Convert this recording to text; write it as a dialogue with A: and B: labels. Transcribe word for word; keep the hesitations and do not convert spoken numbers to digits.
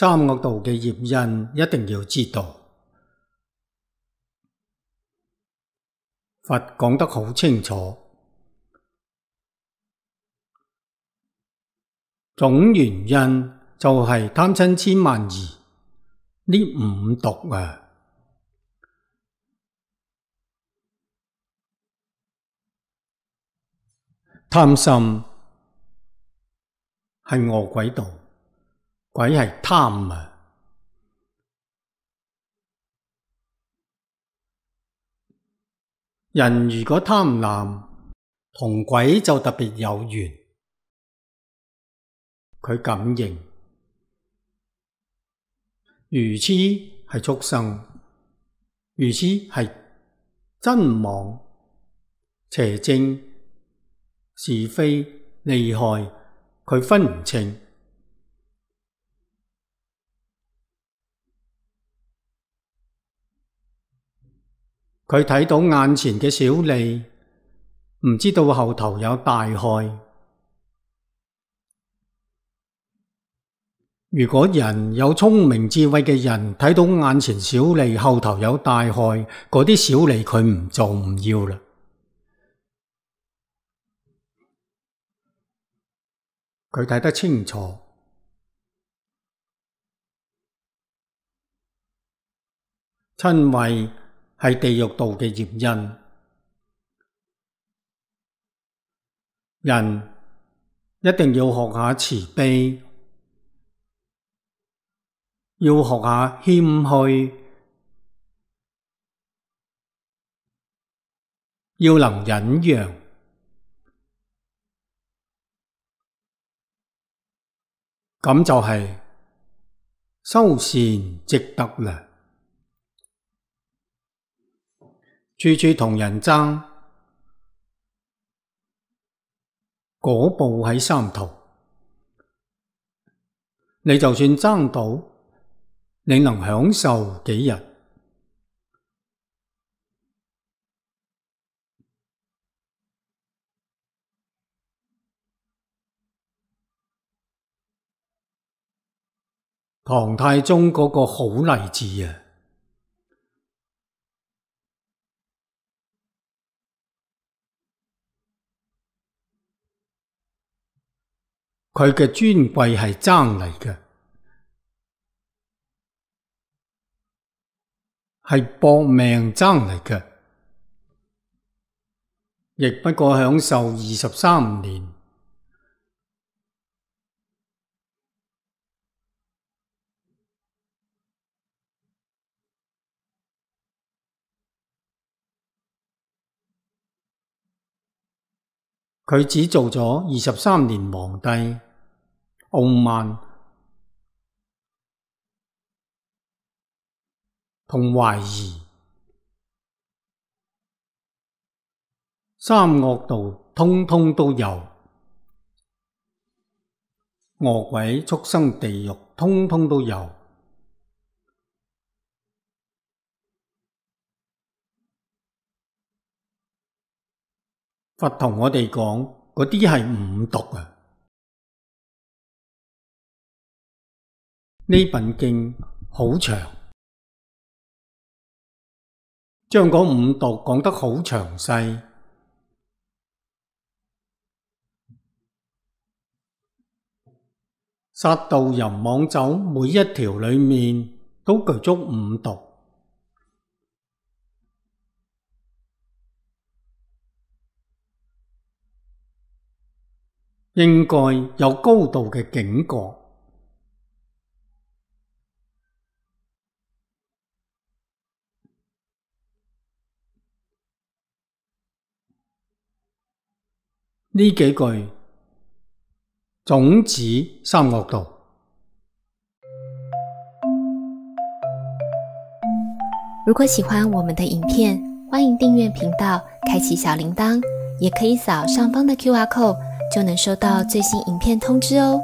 A: 三惡道嘅業因一定要知道。佛講得好清楚，總原因就係貪嗔痴慢疑呢五毒啊！貪心係餓鬼道，鬼係貪啊！人如果貪婪，同鬼就特別有緣，佢感應。愚痴係畜生，愚痴係真妄、邪正、是非、利害，佢分唔清。佢睇到眼前嘅小利，唔知道後頭有大害。如果人有聰明智慧嘅人，睇到眼前小利，後頭有大害，嗰啲小利佢唔做唔要啦。佢睇得清楚，瞋恚係地獄道嘅業因。人一定要學下慈悲，要學下謙虛，要能忍讓，咁就係修善積德啦。處處同人爭，果報喺三途。你就算爭到，你能享受幾日？唐太宗嗰個好例子啊！佢嘅尊貴係爭嚟嘅，係搏命爭嚟嘅，亦不過享受二十三年。佢只做咗二十三年皇帝，傲慢同懷疑，三惡道通通都有，餓鬼畜生地獄通通都有。佛同我哋講，嗰啲係五毒啊！呢本經好長，將嗰五毒講得好詳細。殺盜淫妄酒每一條裏面都具足五毒。應該有高度嘅警覺。呢幾句總指三惡道。
B: 如果喜歡我們的影片，歡迎訂閱頻道，開啟小鈴鐺，也可以掃上方的 Q R code，就能收到最新影片通知哦。